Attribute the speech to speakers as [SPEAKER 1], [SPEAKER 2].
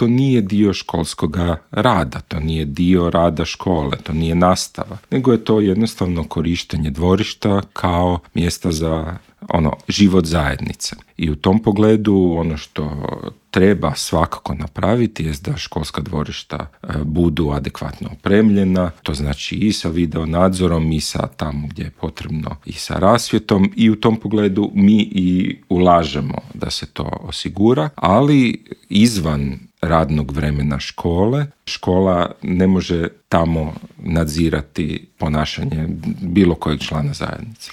[SPEAKER 1] to nije dio školskog rada, to nije dio rada škole, to nije nastava, nego je to jednostavno korištenje dvorišta kao mjesta za život zajednice. I u tom pogledu ono što treba svakako napraviti je da školska dvorišta budu adekvatno opremljena, to znači i sa video nadzorom i sa tamo gdje je potrebno i sa rasvjetom, i u tom pogledu mi i ulažemo da se to osigura, ali izvan radnog vremena škola ne može tamo nadzirati ponašanje bilo kojeg člana zajednice.